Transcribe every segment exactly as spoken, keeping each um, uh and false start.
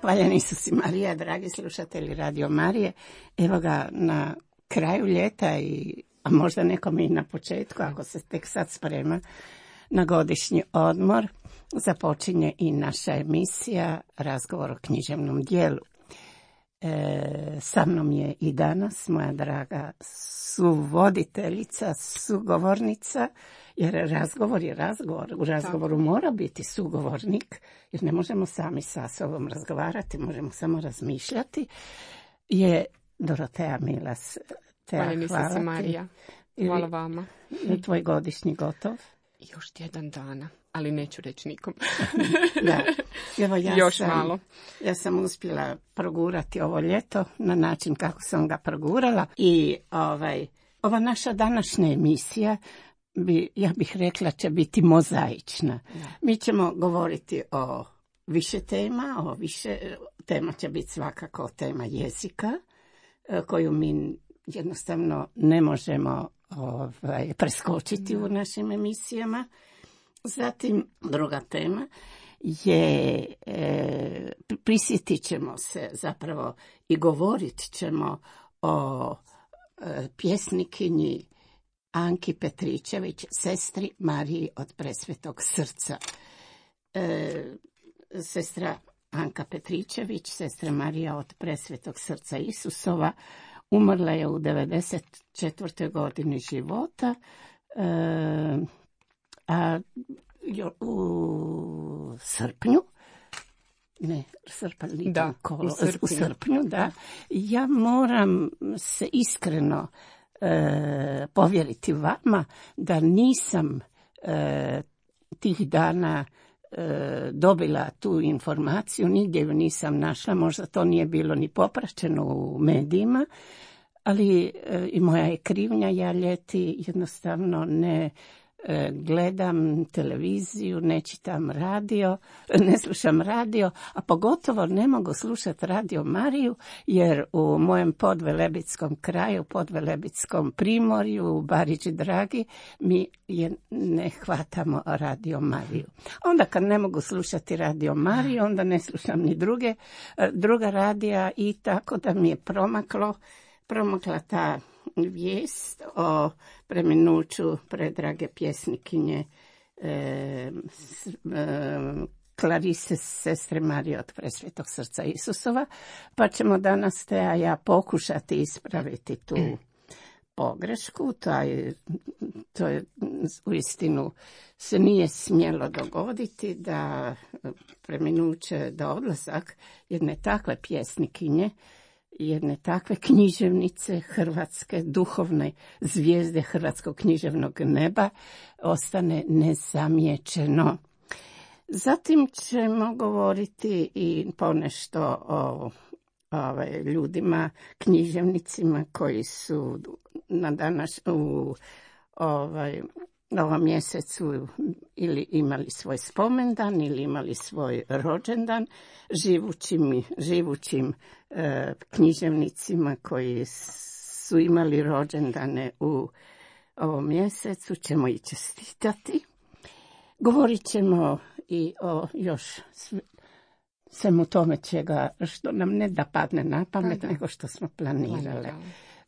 Hvaljen Isus i Marija, dragi slušatelji Radio Marije. Evo ga na kraju ljeta, i, a možda nekom i na početku, ako se tek sad sprema na godišnji odmor, započinje i naša emisija Razgovor o književnom dijelu. E, sa mnom je i danas moja draga suvoditeljica, sugovornica, jer razgovor je razgovor. U razgovoru mora biti sugovornik, jer ne možemo sami sa sobom razgovarati, možemo samo razmišljati. Je Dorotea Milas. Hvala mi se, Marija. Hvala vama. Je tvoj godišnji gotov? Još tjedan dana, ali neću reći nikom. Da. Evo, ja Još sam, malo. Ja sam uspjela progurati ovo ljeto na način kako sam ga progurala. I ovaj, ova naša današnja emisija, bi, ja bih rekla, će biti mozaična. Da. Mi ćemo govoriti o više tema, o više tema će biti svakako tema jezika, koju mi jednostavno ne možemo ovaj, preskočiti u našim emisijama. Zatim, druga tema je, e, prisjetit ćemo se zapravo i govorit ćemo o e, pjesnikinji Anki Petričević, sestri Mariji od Presvetog srca. E, sestra Anka Petričević, sestra Marija od Presvetog srca Isusova, umrla je u devedeset četvrtoj godini života, e, a u srpnju, ne, srpanj, da, kolo, u srpnju. u srpnju, da, ja moram se iskreno e, povjeriti vama da nisam e, tih dana e, dobila tu informaciju, nigdje ju nisam našla, možda to nije bilo ni popraćeno u medijima, ali e, i moja je krivnja, ja ljeti jednostavno ne gledam televiziju, ne čitam radio, ne slušam radio, a pogotovo ne mogu slušati Radio Mariju, jer u mojem podvelebitskom kraju, podvelebitskom primorju, u Bariči Dragi, mi je ne hvatamo Radio Mariju. Onda kad ne mogu slušati Radio Mariju, onda ne slušam ni druge, druga radija, i tako da mi je promaklo, promakla ta vijest o preminuću predrage pjesnikinje e, s, e, Klarise, sestre Marije od Presvetog srca Isusova, pa ćemo danas te, a ja, pokušati ispraviti tu pogrešku. Taj, to je uistinu se nije smjelo dogoditi da preminuće, da odlazak jedne takve pjesnikinje, jedne takve književnice hrvatske, duhovne zvijezde hrvatskog književnog neba, ostane nezamijećeno. Zatim ćemo govoriti i ponešto o ovaj, ljudima, književnicima koji su na danas u ovaj, ovom mjesecu ili imali svoj spomendan ili imali svoj rođendan, živućim, živućim e, književnicima koji su imali rođendane u ovom mjesecu ćemo i čestitati. Govorit ćemo i o još svemu tome čega, što nam ne da padne na pamet, da, da. nego što smo planirale.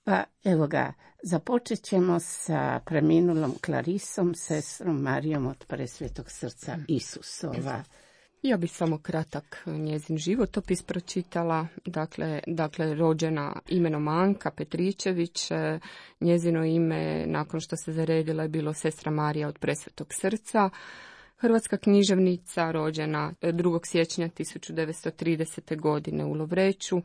Pa evo ga, započet ćemo sa preminulom Klarisom, sestrom Marijom od Presvetog srca Isusova. Ja bih samo kratak njezin životopis pročitala. Dakle, dakle, rođena imenom Anka Petričević, njezino ime nakon što se zaredila je bilo sestra Marija od Presvetog srca. Hrvatska književnica, rođena drugog siječnja tisuću devetsto tridesete. godine u Lovreću,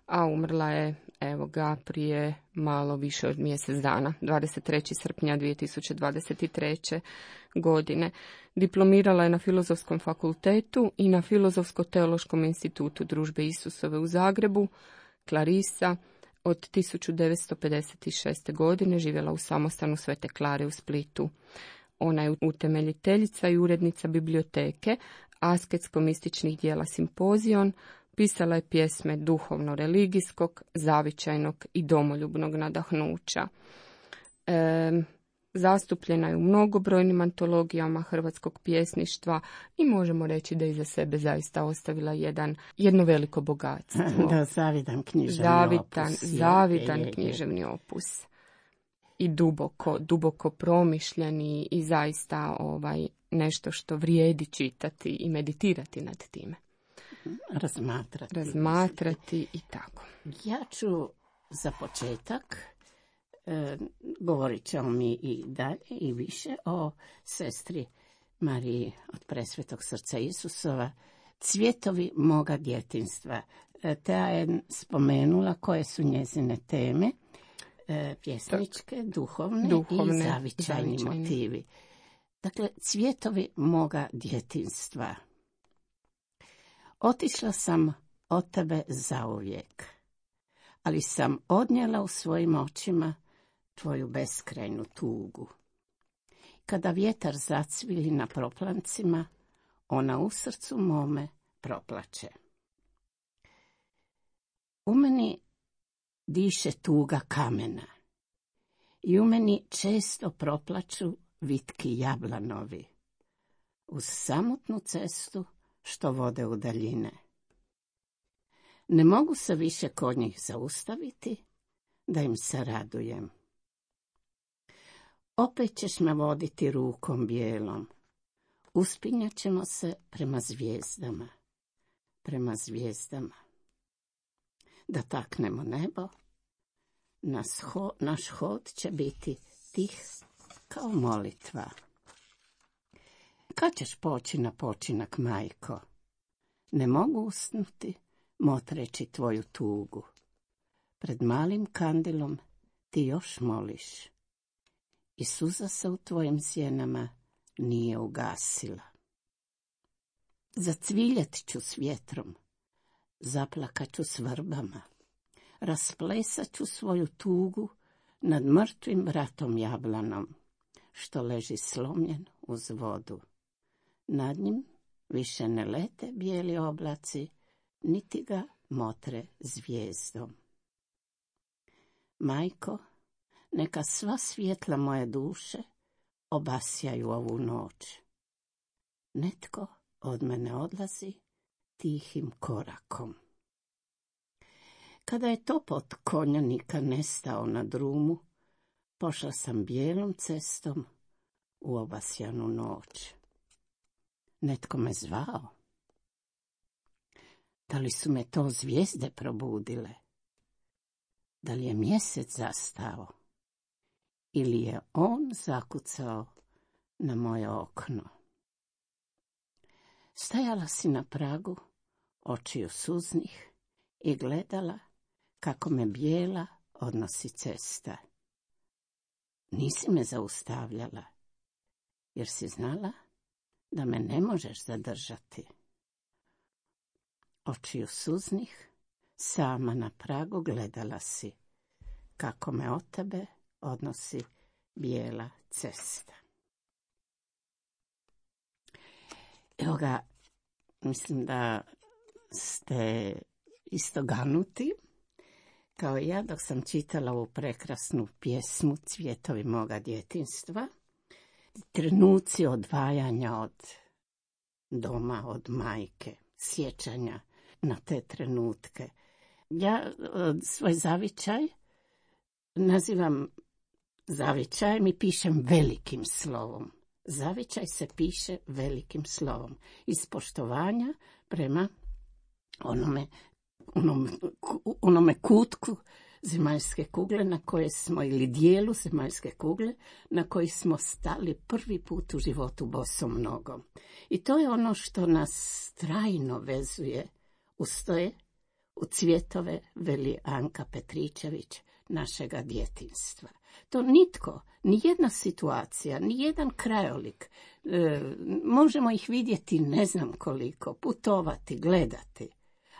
a umrla je, evo ga, prije malo više od mjesec dana, dvadeset trećeg srpnja dvije tisuće dvadeset treće. godine. Diplomirala je na Filozofskom fakultetu i na Filozofsko-teološkom institutu Družbe Isusove u Zagrebu. Clarisa od tisuću devetsto pedeset šeste. godine živjela u samostanu Svete Klare u Splitu. Ona je utemeljiteljica i urednica biblioteke, asketsko-mističnih dijela Simpozion, pisala je pjesme duhovno-religijskog, zavičajnog i domoljubnog nadahnuća. E, Zastupljena je u mnogobrojnim antologijama hrvatskog pjesništva i možemo reći da iza sebe zaista ostavila jedan, jedno veliko bogatstvo. Da, zavidan književni zavitan, opus. Zavidan je, je, je. književni opus. I duboko, duboko promišljeni i zaista ovaj, nešto što vrijedi čitati i meditirati nad time. Razmatrati. Razmatrati i tako. Ja ću za početak, e, govorit ćemo mi i dalje i više o sestri Mariji od Presvetog srca Isusova, Cvjetovi moga djetinjstva. E, ta je spomenula koje su njezine teme, e, pjesničke, duhovne, duhovne i zavičajni, zavičajni motivi. Dakle, Cvjetovi moga djetinjstva. Otišla sam od tebe zauvijek, ali sam odnijela u svojim očima tvoju beskrajnu tugu. Kada vjetar zacvili na proplancima, ona u srcu mome proplače. U meni diše tuga kamena i u meni često proplaču vitki jablanovi uz samotnu cestu što vode u daljine. Ne mogu se više kod njih zaustaviti, da im se radujem. Opet ćeš me voditi rukom bijelom, uspinjat ćemo se prema zvijezdama, prema zvijezdama. Da taknemo nebo, naš, ho, naš hod će biti tih kao molitva. Kad ćeš poći na počinak, majko? Ne mogu usnuti, motreći tvoju tugu. Pred malim kandilom ti još moliš i suza se u tvojim sjenama nije ugasila. Zacviljet ću s vjetrom, zaplakat ću s vrbama, rasplesat ću svoju tugu nad mrtvim bratom jablanom, što leži slomljen uz vodu. Nad njim više ne lete bijeli oblaci, niti ga motre zvijezdom. Majko, neka sva svjetla moje duše obasjaju ovu noć. Netko od mene odlazi tihim korakom. Kada je topot konjanika nestao na drumu, pošla sam bijelom cestom u obasjanu noć. Netko me zvao. Da li su me to zvijezde probudile? Da li je mjesec zastao? Ili je on zakucao na moje okno? Stajala si na pragu, očiju suznih, i gledala kako me bijela odnosi cesta. Nisi me zaustavljala, jer si znala da me ne možeš zadržati. Očiju suznih, sama na pragu gledala si kako me od tebe odnosi bijela cesta. Evo ga, mislim da ste isto ganuti, kao i ja dok sam čitala ovu prekrasnu pjesmu Cvjetovi moga djetinjstva. Trenuci odvajanja od doma, od majke, sjećanja na te trenutke. Ja svoj zavičaj nazivam zavičajem i pišem velikim slovom. Zavičaj se piše velikim slovom, iz poštovanja prema onome, onome, onome kutku zemaljske kugle na koje smo, ili dijelu zemaljske kugle na koji smo stali prvi put u životu bosom nogom. I to je ono što nas trajno vezuje uz to je u cvjetove, veli Anka Petričević, našega djetinjstva. To nitko, ni jedna situacija, ni jedan krajolik, e, možemo ih vidjeti ne znam koliko, putovati, gledati,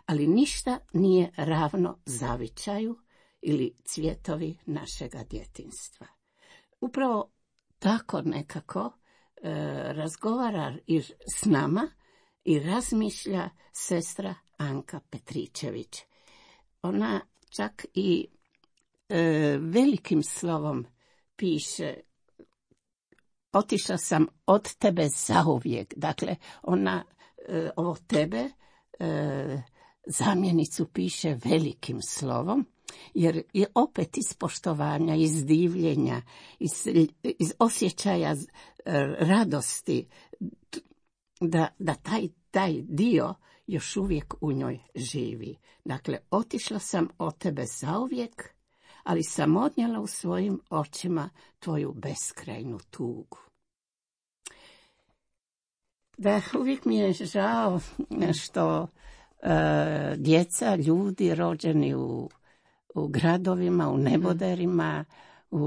ali ništa nije ravno zavičaju ili cvjetovi našega djetinjstva. Upravo tako nekako e, razgovara i s nama i razmišlja sestra Anka Petričević. Ona čak i e, velikim slovom piše otišla sam od tebe zauvijek. Dakle, ona e, ovo tebe e, zamjenicu piše velikim slovom, jer je opet iz poštovanja, iz divljenja, iz, iz osjećaja e, radosti, da, da taj, taj dio još uvijek u njoj živi. Dakle, otišla sam od tebe zauvijek, ali sam odnijela u svojim očima tvoju beskrajnu tugu. Da, uvijek mi je žao što e, djeca, ljudi rođeni u, u gradovima, u neboderima, u,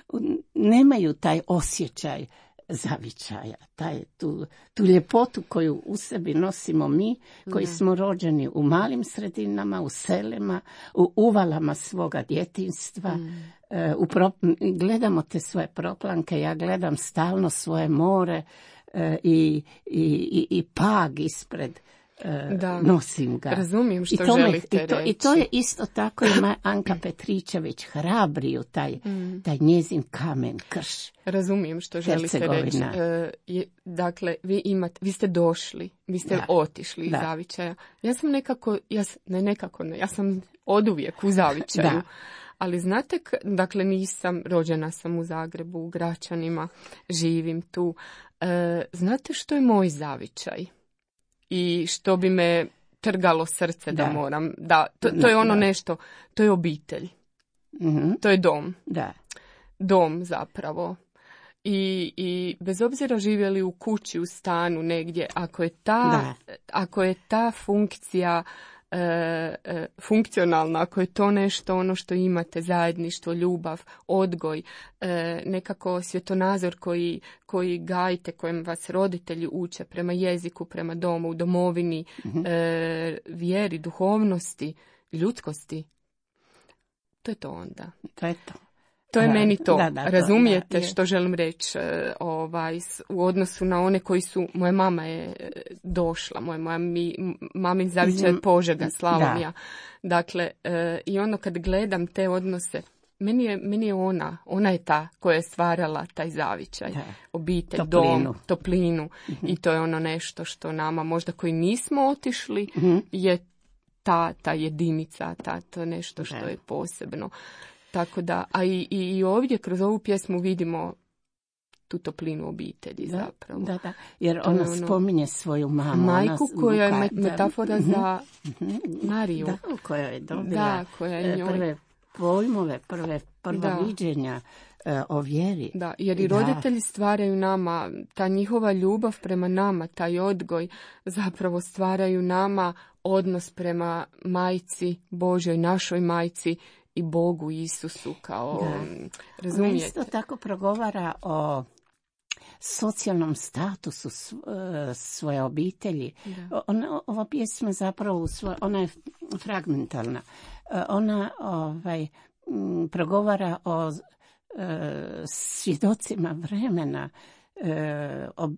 u, nemaju taj osjećaj zavičaja, taj, tu, tu ljepotu koju u sebi nosimo mi, koji smo rođeni u malim sredinama, u selima, u uvalama svoga djetinjstva. Mm. E, u pro, gledamo te svoje proplanke, ja gledam stalno svoje more e, i, i, i, i pag ispred. Da, nosim ga. Razumijem što I to želite me, i to, reći. I to je isto tako i Anka Petričević hrabri u taj, mm. taj njezin kamen krš. Razumijem što želite reći. E, je, dakle, vi imate, vi ste došli, vi ste da. otišli iz da. zavičaja. Ja sam nekako, ja, ne nekako, ne, ja sam oduvijek u zavičaju. Da. Ali znate, dakle, nisam, rođena sam u Zagrebu, u Gračanima, živim tu. E, znate što je moj zavičaj? I što bi me trgalo srce da, da moram, da, to, to je ono da. nešto, to je obitelj, mm-hmm. to je dom, da. dom zapravo. I, I bez obzira živjeli u kući, u stanu, negdje, ako je ta, ako je ta funkcija e, e, funkcionalna, ako je to nešto ono što imate, zajedništvo, ljubav, odgoj, e, nekako svjetonazor koji, koji gajite, kojem vas roditelji uče prema jeziku, prema domu, domovini, mm-hmm. e, vjeri, duhovnosti, ljudskosti, to je to onda. To je to. To je meni to. Da, da, Razumijete to, da, što želim reći ovaj, u odnosu na one koji su, moja mama je došla, moja, moja mi, mamin zavičaj je Požega, Slavonija. Dakle, e, i ono kad gledam te odnose, meni je, meni je ona, ona je ta koja je stvarala taj zavičaj, da. obitelj, toplinu. dom, toplinu. Mm-hmm. I to je ono nešto što nama, možda koji nismo otišli, mm-hmm. je ta, ta jedinica, ta, to je nešto što da. je posebno. Tako da, a i, i ovdje kroz ovu pjesmu vidimo tu toplinu obitelji da, zapravo. Da, da, jer ona ono, spominje svoju mamu. Majku ona, koja je Luka, metafora da, za Mariju. Da, koja je dobila da, koja je njoj... prve pojmove, prve prva viđenja uh, o vjeri. Da, jer i roditelji da. stvaraju nama, ta njihova ljubav prema nama, taj odgoj, zapravo stvaraju nama odnos prema majci Božjoj, našoj majci, i Bogu Isusu kao, da. razumijete? Ona isto tako progovara o socijalnom statusu svoje obitelji. Ona, ova pjesma zapravo, svoj, ona je fragmentalna. Ona ovaj, progovara o e, svjedocima vremena. E, o,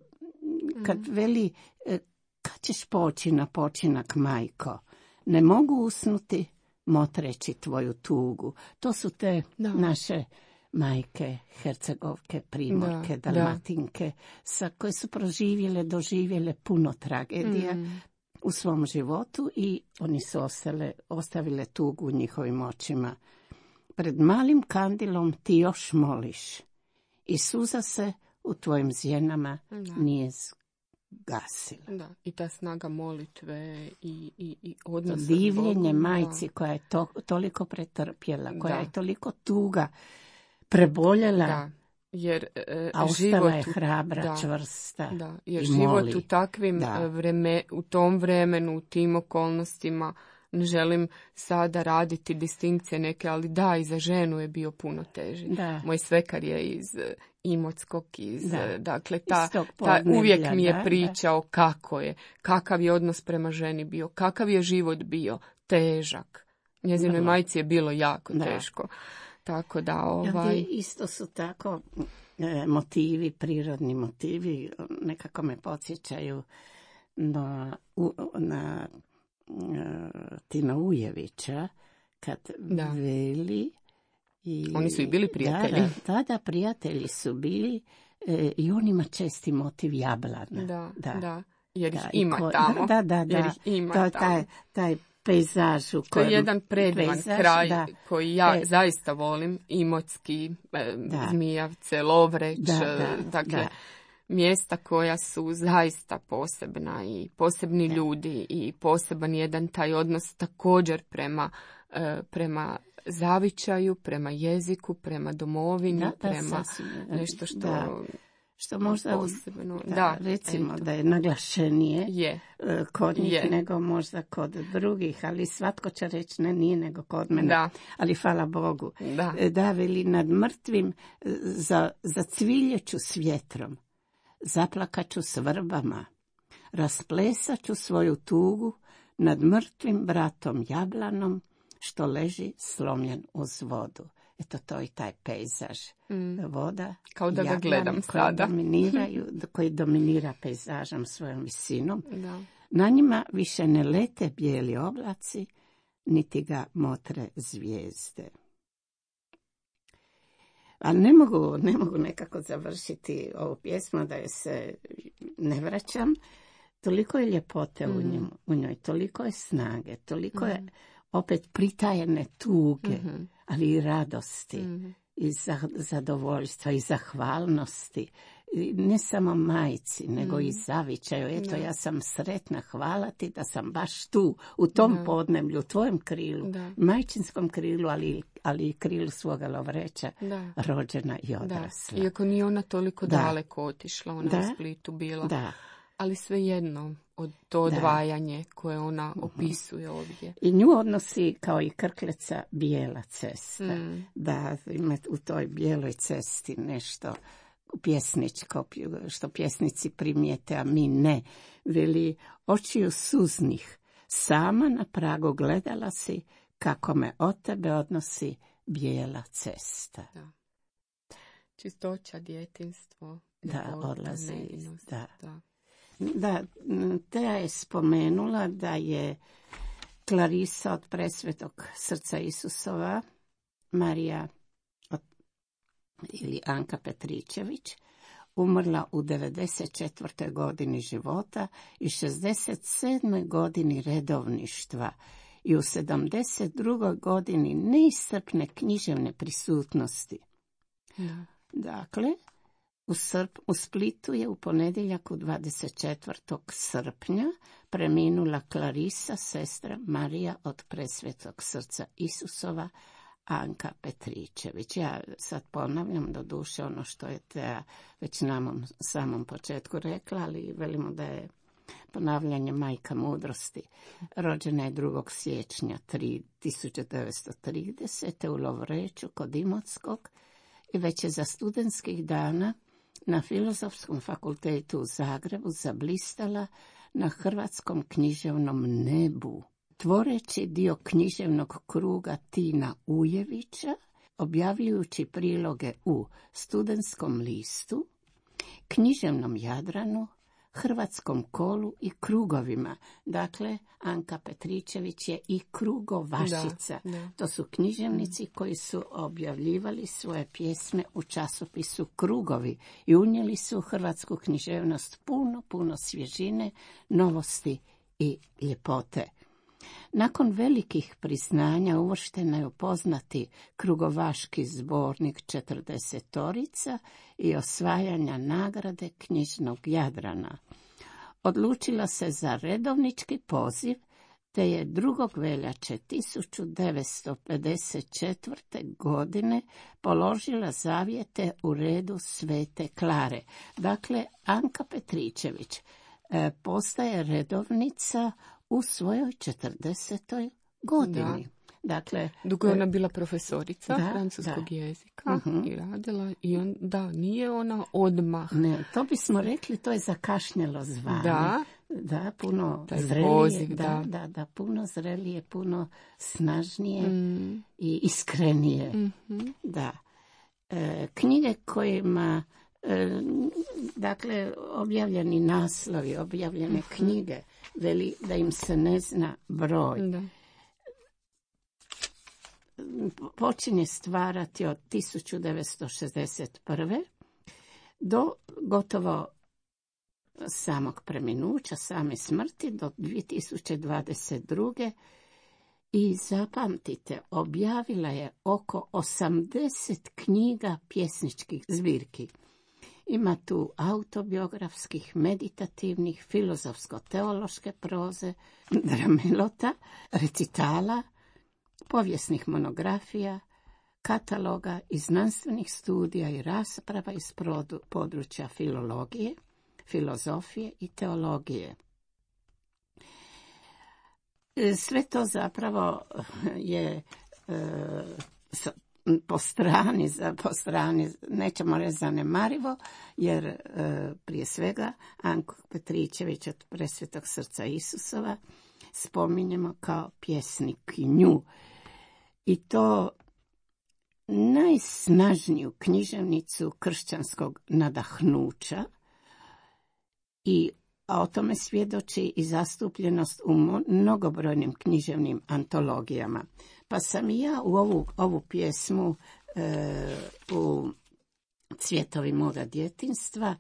kad veli, e, kad ćeš poći na počinak, majko? Ne mogu usnuti motreći tvoju tugu. To su te da. naše majke, Hercegovke, Primorke, da, Dalmatinke, da. sa koje su proživjele, doživjele puno tragedija mm. u svom životu i oni su ostale, ostavile tugu u njihovim očima. Pred malim kandilom ti još moliš i suza se u tvojim zjenama da. nije gasila. Da, i ta snaga molitve i, i, i odnosa. Divljenje majci koja je to, toliko pretrpjela, koja da. je toliko tuga preboljela, da. Jer, e, a ostala je hrabra, da, čvrsta da, jer i život moli. u takvim vreme, u tom vremenu, u tim okolnostima, ne želim sada raditi distinkcije neke, ali da, i za ženu je bio puno teži. Da. Moj svekar je iz Imotskog, iz, da. dakle, ta, ta uvijek mi je da, pričao da. kako je, kakav je odnos prema ženi bio, kakav je život bio, težak. Njezinoj majci je bilo jako da. teško. Tako da, ovaj... Isto su tako e, motivi, prirodni motivi, nekako me podsjećaju na, u, na Tina Ujevića, kad da. veli I, Oni su i bili prijatelji. Da, da, da, prijatelji su bili e, i on ima česti motiv jablana. Da, da, da. Jer ih da, ima ko, tamo. Da, da, da. Jer ih ima to, tamo. Taj, taj pejzaž u To je jedan predivan pejzaž, kraj da. koji ja e, zaista volim. Imotski, e, da. Zmijavce, Lovreć, da, da, dakle, da. mjesta koja su zaista posebna i posebni da. ljudi i poseban jedan taj odnos također prema, e, prema zavičaju, prema jeziku, prema domovini, da, da, prema sasvim, nešto što... Da. Što možda posebno. Da, Da, recimo eto. Da je naglašenije je. kod njih je. nego možda kod drugih, ali svatko će reći ne, nije nego kod mene. Da. Ali hvala Bogu. Da. Da, veli nad mrtvim za, zacviljeću s vjetrom, zaplakaću s vrbama, rasplesat ću svoju tugu nad mrtvim bratom jablanom što leži slomljen uz vodu. Eto, to je taj pejzaž. Mm. Voda, kao da ga gledam koji sada. Dominiraju, koji dominira pejzažom svojom visinom. Da. Na njima više ne lete bijeli oblaci, niti ga motre zvijezde. Ali ne mogu, ne mogu nekako završiti ovu pjesmu da je se ne vraćam. Toliko je ljepote mm. u, njemu, u njoj, toliko je snage, toliko mm. je opet pritajene tuge, mm-hmm. ali i radosti, mm-hmm. i zadovoljstva, i zahvalnosti. I ne samo majci, nego mm. i zavičaju. Eto, da. Ja sam sretna, hvala ti da sam baš tu, u tom da. Podneblju, u tvojem krilu, da. Majčinskom krilu, ali, ali i krilu svoga Lovreća, da. Rođena i odrasla. Da. Iako nije ona toliko da. Daleko otišla, ona da. U Splitu bila. Da. Ali svejedno, od to odvajanje da. Koje ona opisuje ovdje. I nju odnosi kao i Krkleca bijela cesta. Mm. Da ima u toj bijeloj cesti nešto pjesničko, što pjesnici primijete, a mi ne. Veli, očiju suznih, sama na pragu gledala si, kako me od tebe odnosi bijela cesta. Da. Čistoća, djetinjstvo. Da, odlazi. Da. Da. Da, Teja je spomenula da je Klarisa od Presvetog srca Isusova, Marija od, ili Anka Petričević, umrla u devedeset četvrtoj godini života i šezdeset sedmoj godini redovništva i u sedamdeset drugoj godini neiscrpne književne prisutnosti. Da. Dakle, U, Srp, u Splitu je u ponedjeljak u dvadeset četvrtog srpnja preminula Klarisa, sestra Marija od Presvetog srca Isusova, Anka Petričević. Ja sad ponavljam do duše ono što je Teja već na samom početku rekla, ali velimo da je ponavljanje majka mudrosti. Rođena je drugog siječnja tisuću devetsto tridesete. u Lovreću kod Imotskog i već je za studentskih dana na Filozofskom fakultetu u Zagrebu zablistala na hrvatskom književnom nebu, tvoreći dio književnog kruga Tina Ujevića, objavljujući priloge u Studentskom listu, Književnom Jadranu, Hrvatskom kolu i krugovima. Dakle, Anka Petričević je i krugovašica. Da, da. To su književnici koji su objavljivali svoje pjesme u časopisu Krugovi i unijeli su u hrvatsku književnost puno, puno svježine, novosti i ljepote. Nakon velikih priznanja uvrštena je u poznati krugovaški zbornik četrdesetorica i osvajanja nagrade knjižnog Jadrana. Odlučila se za redovnički poziv, te je drugog veljače tisuću devetsto pedeset četvrte. godine položila zavjete u redu Svete Klare. Dakle, Anka Petričević e, postaje redovnica u svojoj četrdesetoj godini. Da. Dakle, dugo je ona bila profesorica da, francuskog da. jezika uh-huh. i radila i on, da, nije ona odmah. Ne, to bismo rekli, to je zakašnjelo zvanje. Da. Da, puno Taj zrelije, poziv, da, da. da, da, puno zrelije, puno snažnije mm. i iskrenije. Mm-hmm. Da. E, knjige kojima e, dakle, objavljeni naslovi, objavljene uh-huh. knjige, veli da im se ne zna broj. Da. počinje stvarati od tisuću devetsto šezdeset prve do gotovo samog preminuća, same smrti do dvije tisuće dvadeset druge. I zapamtite, objavila je oko osamdeset knjiga pjesničkih zbirki. Ima tu autobiografskih, meditativnih, filozofsko-teološke proze, dramelota, recitala, povijesnih monografija, kataloga i znanstvenih studija i rasprava iz područja filologije, filozofije i teologije. Sve to zapravo je e, po strani, po strani, nećemo reći zanemarivo, jer e, prije svega Anku Petričević od Presvetog srca Isusova spominjemo kao pjesnikinju. I to najsnažniju književnicu kršćanskog nadahnuća, i a o tome svjedoči i zastupljenost u mnogobrojnim književnim antologijama. Pa sam i ja u ovu, ovu pjesmu e, u Cvjetovi moga djetinjstva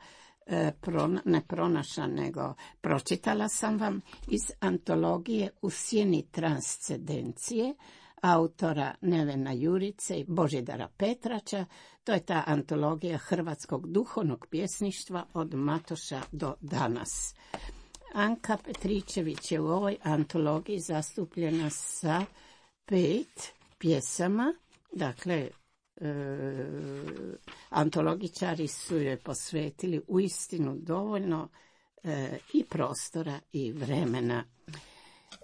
e, prona, ne pronašla, nego pročitala sam vam iz antologije U sjeni transcendencije autora Nevena Jurice i Božidara Petrača. To je ta antologija hrvatskog duhovnog pjesništva od Matoša do danas. Anka Petričević je u ovoj antologiji zastupljena sa pet pjesama, dakle e, antologičari su joj posvetili uistinu dovoljno e, i prostora i vremena,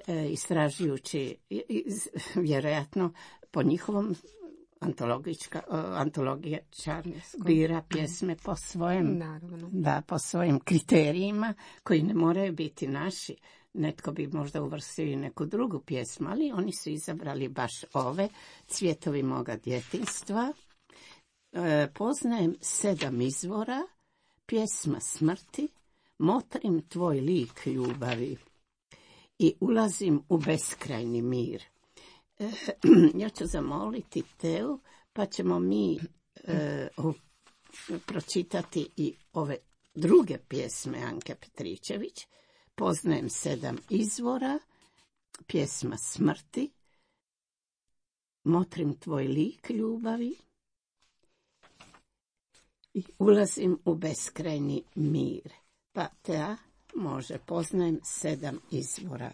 e, istražujući vjerojatno po njihovom antologičar bira pjesme po svojim, da, po svojim kriterijima koji ne moraju biti naši. Netko bi možda uvrstio i neku drugu pjesmu, ali oni su izabrali baš ove, Cvjetovi moga djetinjstva. E, poznajem sedam izvora, pjesma smrti, motrim tvoj lik ljubavi i ulazim u beskrajni mir. E, ja ću zamoliti Teu, pa ćemo mi e, o, pročitati i ove druge pjesme Anke Petričević. Poznajem sedam izvora, pjesma smrti, motrim tvoj lik ljubavi i ulazim u beskrajni mir. Pa Tea može, poznajem sedam izvora.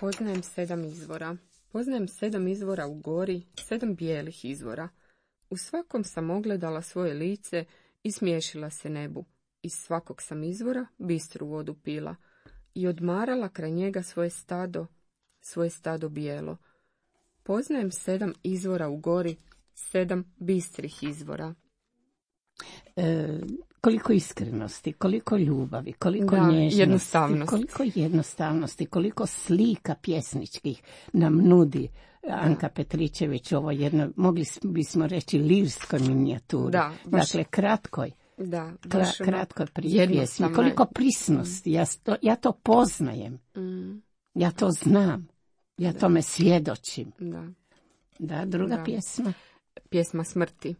Poznajem sedam izvora. Poznajem sedam izvora u gori, sedam bijelih izvora. U svakom sam ogledala svoje lice i smiješila se nebu. Iz svakog sam izvora bistru vodu pila i odmarala kraj njega svoje stado, svoje stado bijelo. Poznajem sedam izvora u gori, sedam bistrih izvora. E, koliko iskrenosti, koliko ljubavi, koliko da, nježnosti, jednostavnosti. koliko jednostavnosti, koliko slika pjesničkih nam nudi Anka Petričević, ovo jedno, mogli bismo reći, lirskoj minijaturi. Da, baš... Dakle, kratkoj. Da, baš Kla, kratko prije pjesmi. Koliko prisnosti, ja to, ja to poznajem. Mm. Ja to znam. Ja da. tome svjedočim. Da, da druga da. pjesma. Pjesma smrti.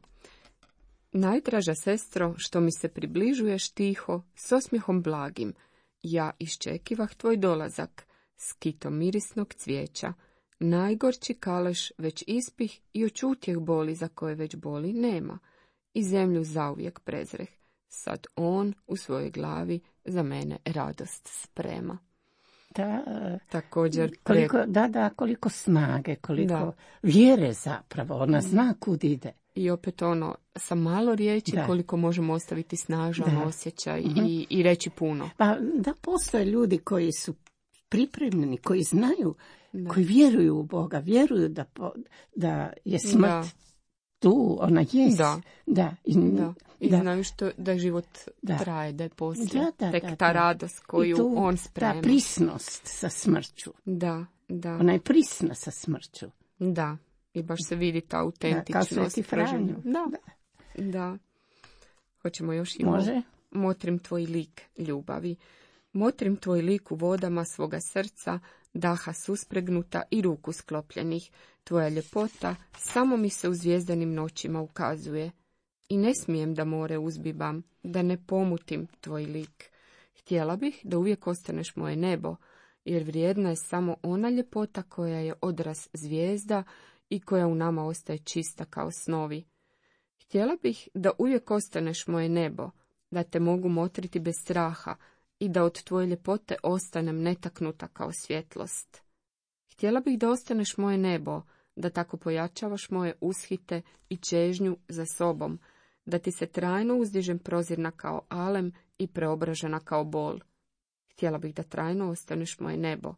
Najdraža sestro, što mi se približuješ tiho, s osmijehom blagim, ja iščekivah tvoj dolazak, s kitom mirisnog cvijeća. Najgorči kaleš već ispih i očutjeh boli za koje već boli nema. I zemlju zauvijek prezreh. Sad on u svojoj glavi za mene radost sprema. Da, također koliko, pre... da, da, koliko snage, koliko da. vjere zapravo, ona zna kud ide. I opet ono, sa malo riječi da. koliko možemo ostaviti snažan da. osjećaj uh-huh. i, i reći puno. Pa da, postoje ljudi koji su pripremljeni, koji znaju, da. koji vjeruju u Boga, vjeruju da, po, da je smrt da. tu, ona jest. Da. Da. I, da. I da. znaju što, da život da. traje, da je poslije. Da, da, Tek da, ta da. radost koju tu, on sprema. Ta prisnost sa smrću. Da, da. Ona je prisna sa smrću. Da. I baš se vidi ta autentičnost. Da, kao Sveti Franjo. Da. da. Da. Hoćemo još i Može. Motrim tvoj lik ljubavi. Motrim tvoj lik u vodama svoga srca, daha suspregnuta i ruku sklopljenih. Tvoja ljepota samo mi se u zvijezdanim noćima ukazuje. I ne smijem da more uzbibam, da ne pomutim tvoj lik. Htjela bih da uvijek ostaneš moje nebo, jer vrijedna je samo ona ljepota koja je odraz zvijezda i koja u nama ostaje čista kao snovi. Htjela bih da uvijek ostaneš moje nebo, da te mogu motriti bez straha i da od tvoje ljepote ostanem netaknuta kao svjetlost. Htjela bih da ostaneš moje nebo, da tako pojačavaš moje ushite i čežnju za sobom, da ti se trajno uzdižem prozirna kao alem i preobražena kao bol. Htjela bih da trajno ostaneš moje nebo,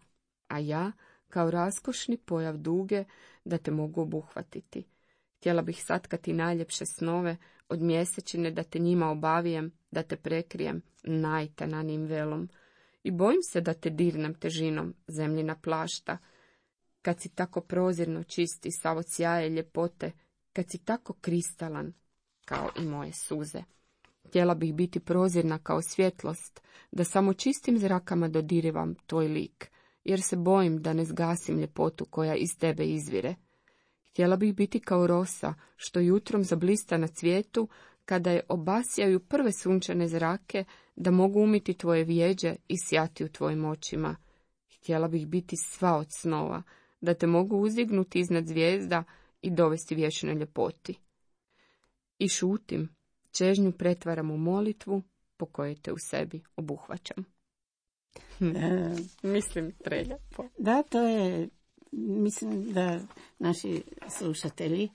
a ja, kao raskošni pojav duge, da te mogu obuhvatiti. Htjela bih satkati najljepše snove od mjesečine, da te njima obavijem, da te prekrijem najtananijim velom. I bojim se da te dirnem težinom zemljina plašta, kad si tako prozirno čisti sav od sjaje ljepote, kad si tako kristalan kao i moje suze. Htjela bih biti prozirna kao svjetlost, da samo čistim zrakama dodirivam tvoj lik, jer se bojim da ne zgasim ljepotu koja iz tebe izvire. Htjela bih biti kao rosa, što jutrom zablista na cvijetu, kada je obasjaju prve sunčane zrake, da mogu umiti tvoje vjeđe i sjati u tvojim očima. Htjela bih biti sva od snova, da te mogu uzdignuti iznad zvijezda i dovesti vječnoj ljepoti. I šutim, čežnju pretvaram u molitvu, po kojoj te u sebi obuhvaćam. E, Mislim, preljepo. Da, to je, mislim da naši slušatelji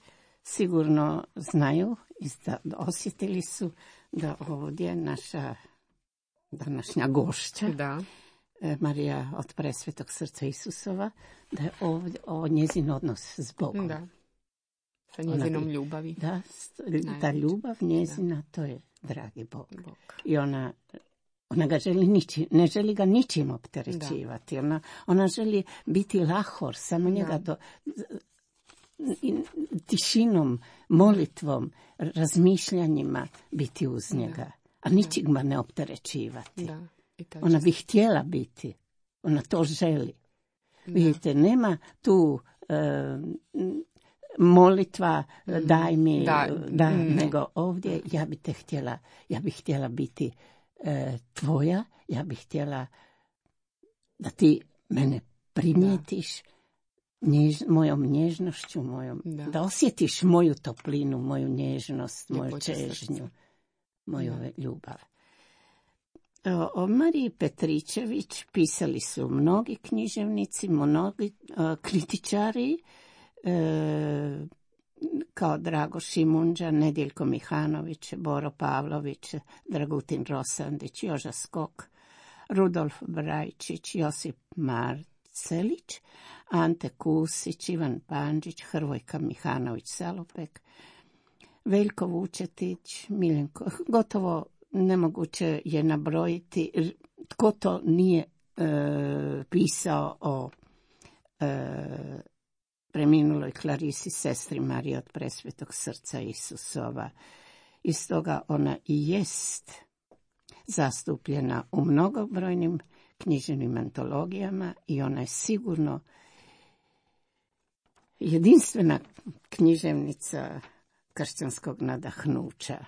sigurno znaju i da osjetili su da ovdje naša današnja gošća, Da. Marija od Presvetog srca Isusova, da je ovdje, ovo njezin odnos s Bogom. Da. Sa njezinom Ona, ljubavi. Da, ta ljubav njezina, da. To je dragi Bog. Bog. I ona, ona ga želi niči, ne želi ga ničim opterećivati. Ona, ona želi biti lahor, samo njega do, tišinom, molitvom, razmišljanjima biti uz njega. Da. A ničim ga ne opterećivati. Da. Ona bi htjela biti. Ona to želi. Da. Vidite, nema tu e, molitva mm. daj mi, da, da mm. nego ovdje ja bi te htjela, ja bih htjela biti e, tvoja, ja bih htjela da ti mene primijetiš njež, mojom nježnošću, mojom, da. da osjetiš moju toplinu, moju nježnost, moju Ljepoće čežnju, srca. moju da. ljubav. O Mariji Petričević pisali su mnogi književnici, mnogi uh, kritičari, uh, kao Drago Šimundža, Nedjeljko Mihanović, Boro Pavlović, Dragutin Rosandić, Joža Skok, Rudolf Brajčić, Josip Marcelić, Ante Kusić, Ivan Pandžić, Hrvojka Mihanović-Salopek, Veljko Vučetić, Miljenko, gotovo nemoguće je nabrojiti tko to nije e, pisao o e, preminuloj Klarisi, sestri Marije od Presvetog srca Isusova. I stoga ona i jest zastupljena u mnogobrojnim književnim antologijama i ona je sigurno jedinstvena književnica kršćanskog nadahnuća.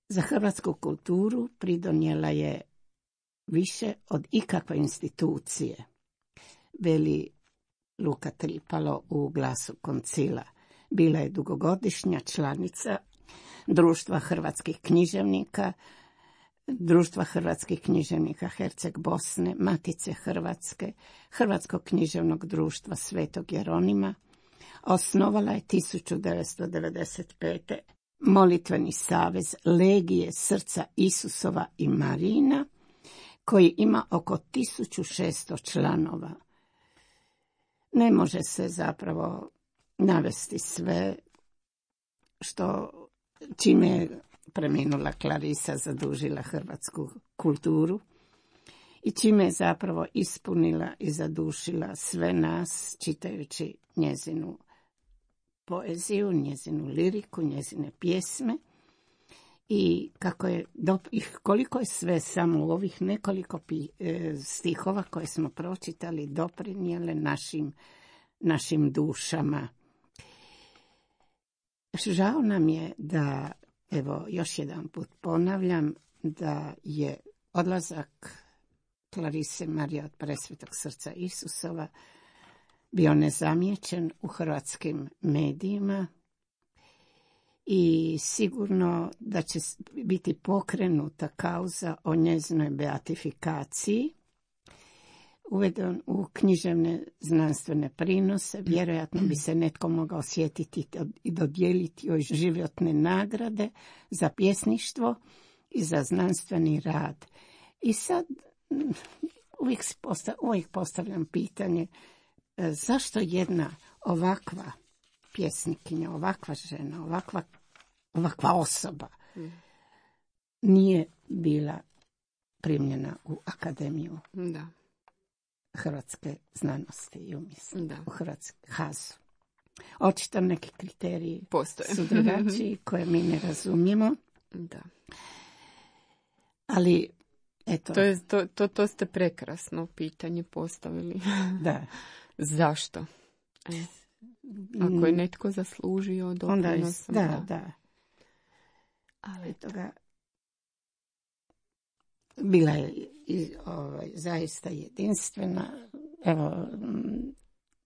Za hrvatsku kulturu pridonijela je više od ikakve institucije, veli Luka Tripalo u Glasu koncila. Bila je dugogodišnja članica Društva hrvatskih književnika, Društva hrvatskih književnika Herceg Bosne, Matice Hrvatske, Hrvatskog književnog društva Svetog Jeronima. Osnovala je tisuću devetsto devedeset pete. Molitveni savez Legije srca Isusova i Marijina, koji ima oko tisuću šesto članova. Ne može se zapravo navesti sve što čime je preminula Klarisa zadužila hrvatsku kulturu i čime je zapravo ispunila i zadušila sve nas čitajući njezinu poeziju, njezinu liriku, njezine pjesme i kako je, i koliko je sve samo u ovih nekoliko pi, e, stihova koje smo pročitali doprinijele našim, našim dušama. Žao nam je da, evo, još jedan put ponavljam, da je odlazak Klarise Marije od Presvetog srca Isusova bio nezamijećen u hrvatskim medijima i sigurno da će biti pokrenuta kauza o njezinoj beatifikaciji, uveden u književne znanstvene prinose. Vjerojatno bi se netko mogao osjetiti i dodijeliti joj životne nagrade za pjesništvo i za znanstveni rad. I sad uvijek, postav, uvijek postavljam pitanje zašto jedna ovakva pjesnikinja, ovakva žena, ovakva, ovakva osoba nije bila primljena u Akademiju da. Hrvatske znanosti i umjetnosti, da. u Hrvatske hazu. Očito neki kriteriji postoje su drugačiji koje mi ne razumijemo. Da. Ali eto. To, je, to, to, to ste prekrasno pitanje postavili. Da. Zašto? E. Ako je netko zaslužio doprinosom. Da, da, da. Ali toga bila je ovaj, zaista jedinstvena. Evo,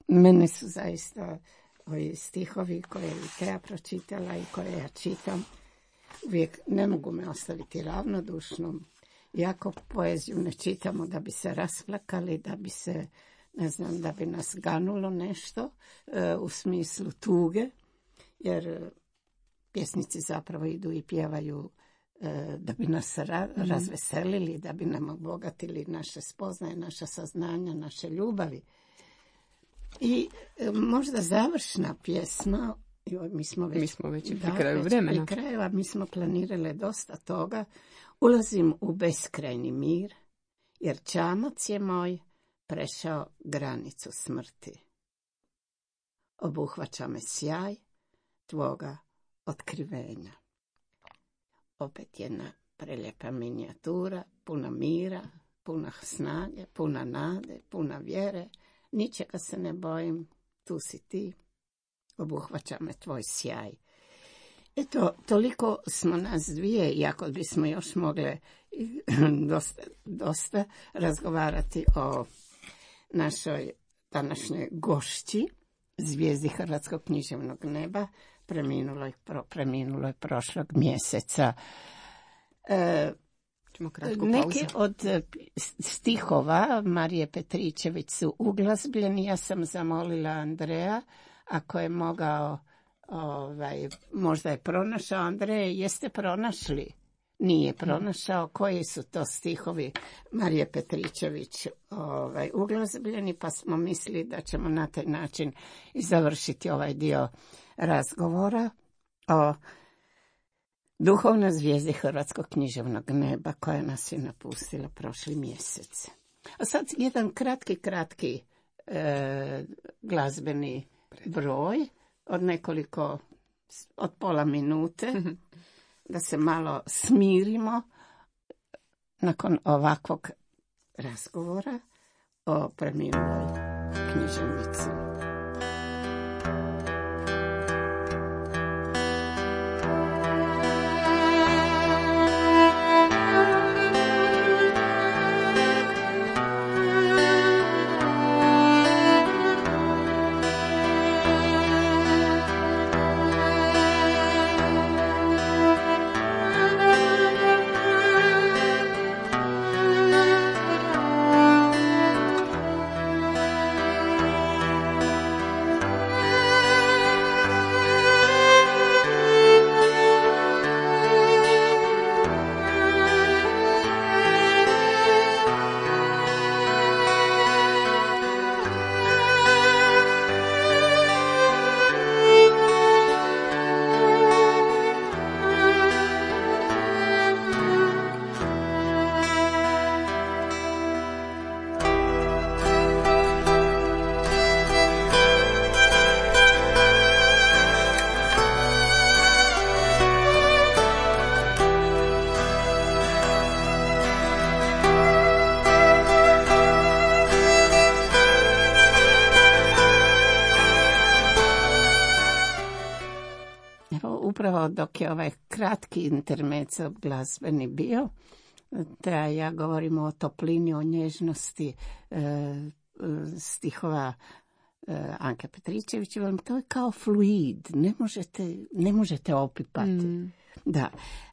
mene su zaista ovi stihovi koje je Teja pročitala i koje ja čitam, uvijek ne mogu me ostaviti ravnodušnom. Iako poeziju ne čitamo da bi se rasplakali, da bi se, ne znam, da bi nas ganulo nešto e, u smislu tuge, jer pjesnici zapravo idu i pjevaju e, da bi nas ra- mm. razveselili, da bi nam obogatili naše spoznaje, naša saznanja, naše ljubavi. I e, možda završna pjesma, joj, mi smo već, mi smo već pri da, kraju vremena. Pri kraju, a mi smo planirali dosta toga. Ulazim u beskrajni mir, jer čamac je moj prešao granicu smrti. Obuhvaća me sjaj tvoga otkrivenja. Opet jedna prelijepa minijatura, puna mira, puna snage, puna nade, puna vjere. Ničega se ne bojim, tu si ti. Obuhvaća me tvoj sjaj. Eto, toliko smo nas dvije, iako bismo još mogle dosta, dosta razgovarati o našoj današnjoj gošći, zvijezdi Hrvatskog književnog neba, preminuloj, pro, preminuloj prošlog mjeseca. E, Neki od stihova Marije Petričević su uglazbljeni. Ja sam zamolila Andreja, ako je mogao, ovaj, možda je pronašao. Andreje, jeste pronašli? Nije pronašao. Koji su to stihovi Marije Petričević ovaj, uglazbljeni, pa smo mislili da ćemo na taj način i završiti ovaj dio razgovora o duhovnoj zvijezdi Hrvatskog književnog neba koja nas je napustila prošli mjesec. A sad jedan kratki, kratki e, glazbeni broj od nekoliko, od pola minute, da se malo smirimo nakon ovakvog razgovora o preminuloj književnici. Evo, upravo dok je ovaj kratki intermezzo glazbeni bio, da ja govorim o toplini, o nježnosti e, stihova e, Anke Petričević, to je kao fluid, ne možete, ne možete opipati. Mm. Da,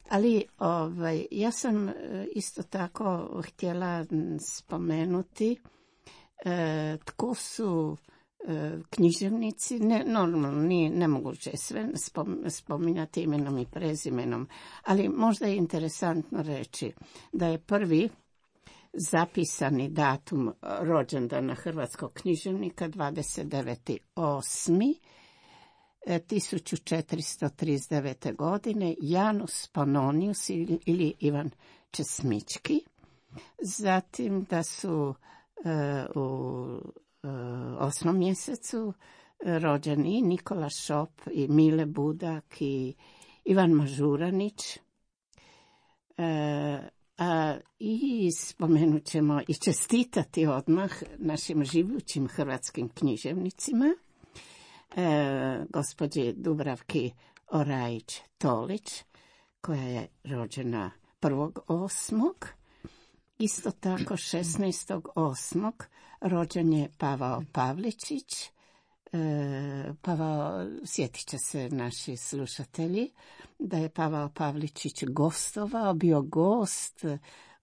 ali ovaj, ja sam isto tako htjela spomenuti e, tko su e, književnici, ne, normalno nije nemoguće sve spom, spominjati imenom i prezimenom, ali možda je interesantno reći da je prvi zapisani datum rođendana hrvatskog književnika dvadeset deveti osmi tisuću četiristo trideset devete. godine Janus Pannonius ili Ivan Česmički. Zatim da su uh, u uh, osmom mjesecu rođeni Nikola Šop i Mile Budak i Ivan Mažuranić. Uh, a, I spomenut ćemo i čestitati odmah našim živućim hrvatskim književnicima, E, gospođi Dubravki Orajić-Tolić, koja je rođena prvog osmog. Isto tako šesnaestog osmog rođen je Pavao Pavličić. E, Pavao, sjetit će se naši slušatelji, da je Pavao Pavličić gostovao, bio gost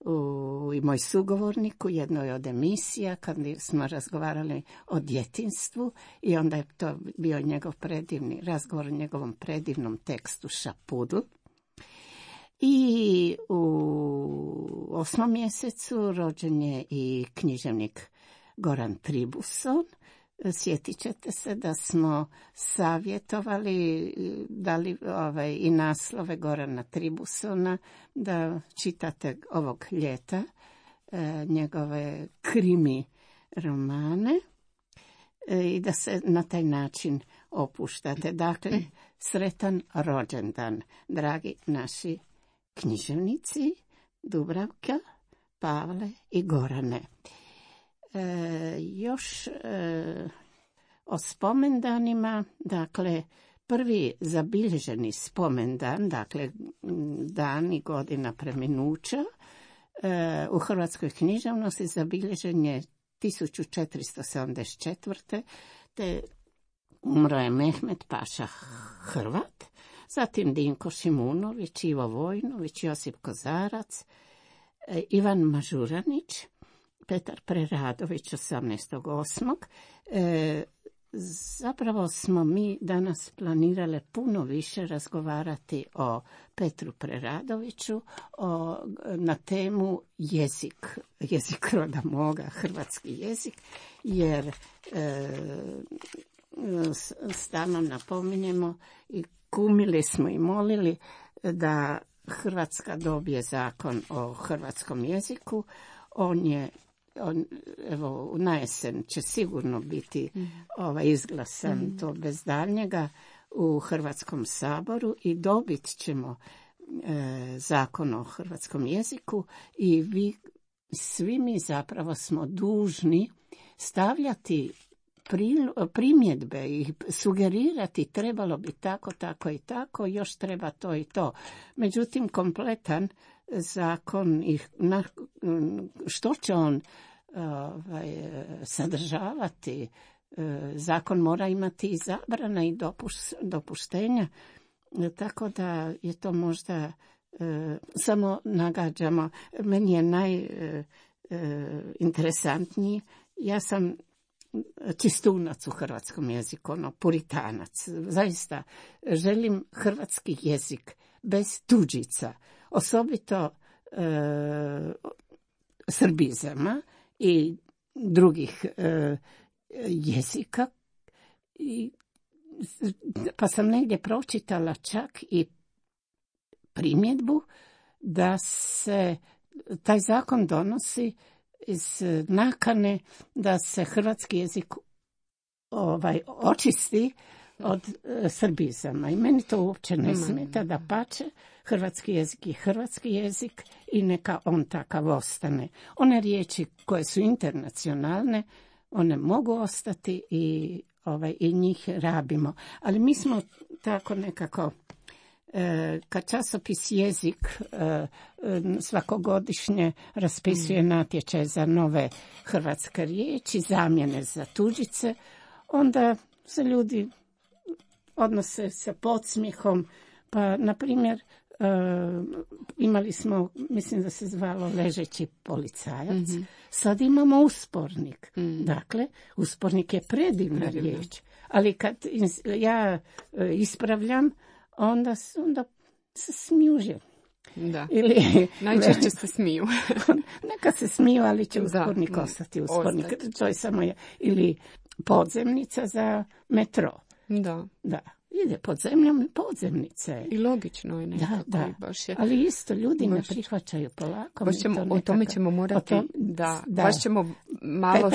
u, i moj sugovornik u jednoj od emisija kad smo razgovarali o djetinjstvu i onda je to bio njegov predivni razgovor o njegovom predivnom tekstu Šapudu. I u osmom mjesecu rođen je i književnik Goran Tribuson. Sjetit ćete se da smo savjetovali, dali ovaj, i naslove Gorana Tribusona, da čitate ovog ljeta e, njegove krimi romane e, i da se na taj način opuštate. Dakle, sretan rođendan, dragi naši književnici Dubravka, Pavle i Gorane. E, još e, o spomendanima, dakle, prvi zabilježeni spomendan, dakle, dan i godina preminuća, e, u hrvatskoj književnosti zabilježen je tisuću četiristo sedamdeset četvrte. te umro je Mehmet Paša Hrvat, zatim Dinko Šimunović, Ivo Vojnović, Josip Kozarac, e, Ivan Mažuranić, Petar Preradović osamnaestog osmog. E, zapravo smo mi danas planirale puno više razgovarati o Petru Preradoviću, o, na temu jezik, jezik roda moga, hrvatski jezik, jer e, stalno napominjemo i kumili smo i molili da Hrvatska dobije zakon o hrvatskom jeziku. On je On, evo, na jesen će sigurno biti mm. ovaj, izglasan, mm. to bez daljnjega, u Hrvatskom saboru i dobit ćemo e, zakon o hrvatskom jeziku i vi, svi mi zapravo smo dužni stavljati pri, primjedbe i sugerirati trebalo bi tako, tako i tako, još treba to i to. Međutim, kompletan zakon i na, što će on ovaj, sadržavati, zakon mora imati i zabrana i dopuš, dopuštenja, tako da je to možda e, samo nagađamo. Meni je najinteresantniji, ja sam čistunac u hrvatskom jeziku, ono, puritanac. Zaista želim hrvatski jezik bez tuđica, osobito e, srbizama i drugih e, jezika. I, pa sam negdje pročitala čak i primjedbu da se taj zakon donosi iz nakane da se hrvatski jezik ovaj, očisti od e, srbizama. I meni to uopće ne smeta, da pače, hrvatski jezik je hrvatski jezik i neka on takav ostane. One riječi koje su internacionalne, one mogu ostati i, ovaj, i njih rabimo. Ali mi smo tako nekako kad časopis Jezik svakogodišnje raspisuje natječaj za nove hrvatske riječi, zamjene za tuđice, onda se ljudi odnose sa podsmjehom. Pa, na primjer, imali smo, mislim da se zvalo ležeći policajac, mm-hmm. sad imamo uspornik. Mm. Dakle, uspornik je predivna Predivno. riječ, ali kad ja ispravljam, onda, onda se smiju. Da. Ili, najčešće se smiju. Neka se smiju, ali će uspornik da, ostati uspornik. Ostati. To je samo je, ili podzemnica za metro. Da. Da. Ide pod zemljom i podzemnice. I logično je nekako. Da, da. Baš je, ali isto ljudi baš, ne prihvaćaju polako. Baš ćemo, to nekako, o tome ćemo morati, tom, da, da, baš ćemo malo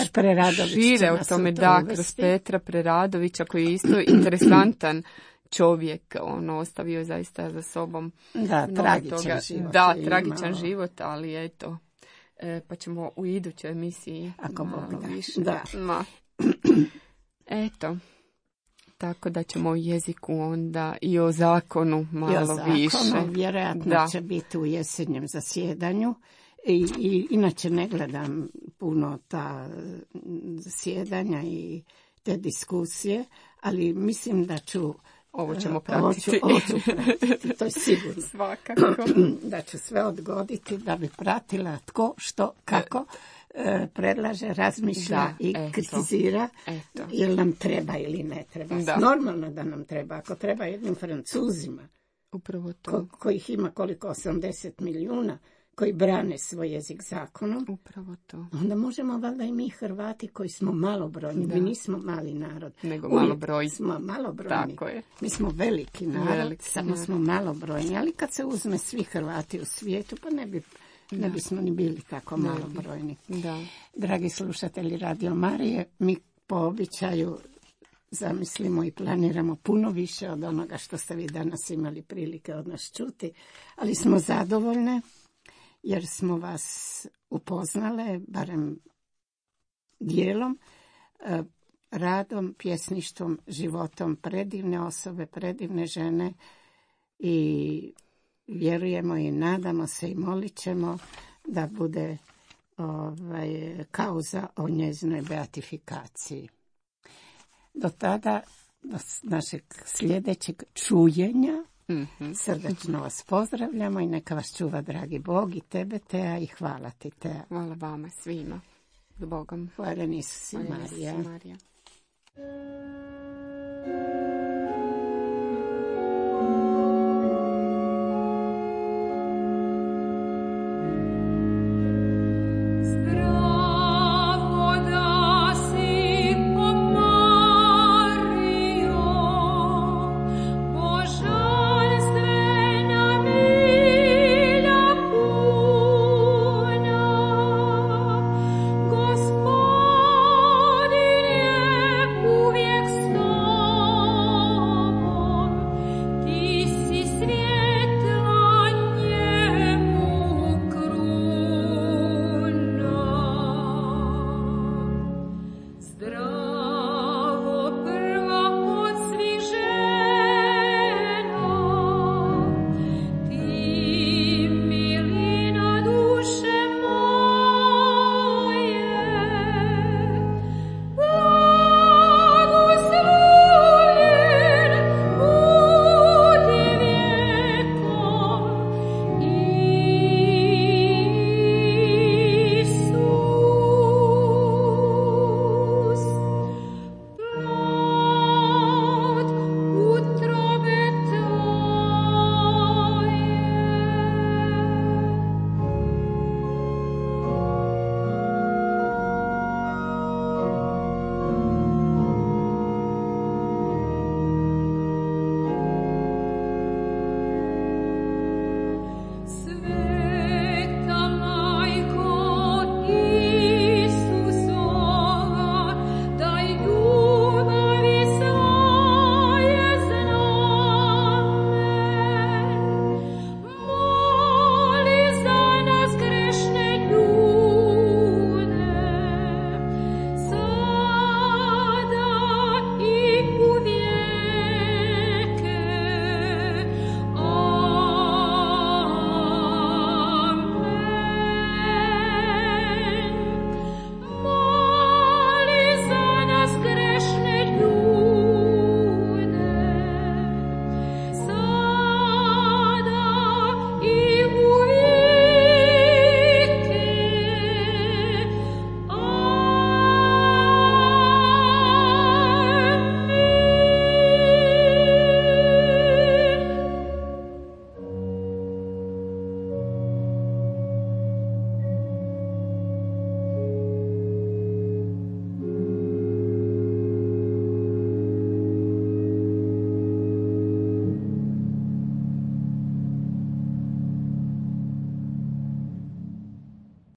šire o tome, da, kroz Petra Preradovića, koji je isto interesantan čovjek, ono, ostavio zaista za sobom. Da, tragičan toga. život. Da, tragičan imao. život, ali eto, e, pa ćemo u idućoj emisiji Ako Bog da. više. Da. Ma. Eto. Tako da ćemo o jeziku onda i o zakonu malo I o zakonu, više. Vjerojatno da. će biti u jesenjem zasjedanju. I, i, inače ne gledam puno ta zasjedanja i te diskusije, ali mislim da ću Ovo ćemo pratiti. Ovo ću, ovo ću pratiti, to je sigurno. Svakako. Da ću sve odgoditi da bi pratila tko, što, kako predlaže, razmišlja da, i eto, kritizira, eto. Jel nam treba ili ne treba. Da. Normalno da nam treba. Ako treba jednim Francuzima, upravo to. Ko, kojih ima koliko, osamdeset milijuna, koji brane svoj jezik zakonom, upravo to. Onda možemo valjda i mi Hrvati koji smo malobrojni, da. mi nismo mali narod. Nego malobrojni. Smo malobrojni. Tako je. Mi smo veliki narod, veliki samo narod. Smo malobrojni, ali kad se uzme svi Hrvati u svijetu, pa ne bi Ne bismo ni bili tako malobrojni. Da. Dragi slušatelji Radio Marije, mi po običaju zamislimo i planiramo puno više od onoga što ste vi danas imali prilike od nas čuti, ali smo zadovoljne jer smo vas upoznale, barem dijelom, radom, pjesništvom, životom predivne osobe, predivne žene i vjerujemo i nadamo se i molit ćemo da bude ovaj, kauza o njezinoj beatifikaciji. Do tada, do našeg sljedećeg čujenja, mm-hmm. srdačno vas pozdravljamo i neka vas čuva dragi Bog i tebe, Teja, i hvala ti, Teja. Hvala vama svima. S Bogom. Hvala Isus i Marija. Marija.